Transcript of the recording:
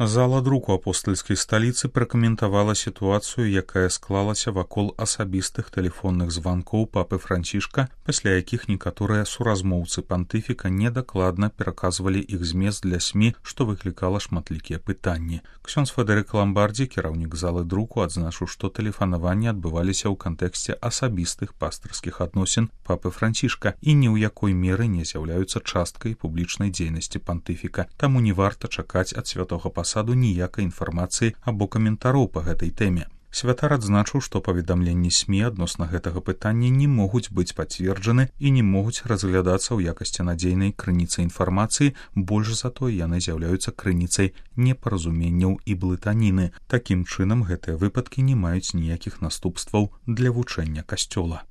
Зала друку апостальскай сталіцы пракаментавала сітуацыю, якая склалася вакол асабістых тэлефонных званкоў папы Францішка, пасля якіх некаторыя суразмоўцы пантыфіка недакладна пераказвалі іх змест для СМІ, што выклікала шматлікія пытанні. Ксёндз Федэрык Ламбардзі, кіраўнік залы друку, адзначыў, што тэлефанаванні адбываліся ў кантэксце асабістых пастырскіх адносін папы Францішка і ні ў якой меры не з'яўляюцца часткай публічнай дзейнасці пантыфіка, таму не варта чакаць ад святога пасаду ніякай інфармацыі або каментароў па гэтай тэме. Святар адзначыў, што паведамленні СМІ адносна гэтага пытання не могуць быць пацверджаны і не могуць разглядацца ў якасці надзейнай крыніцы інфармацыі, больш за тое яны з'яўляюцца крыніцай непаразуменняў і блытаніны. Такім чынам, гэтыя выпадкі не маюць ніякіх наступстваў для вучэння касцёла.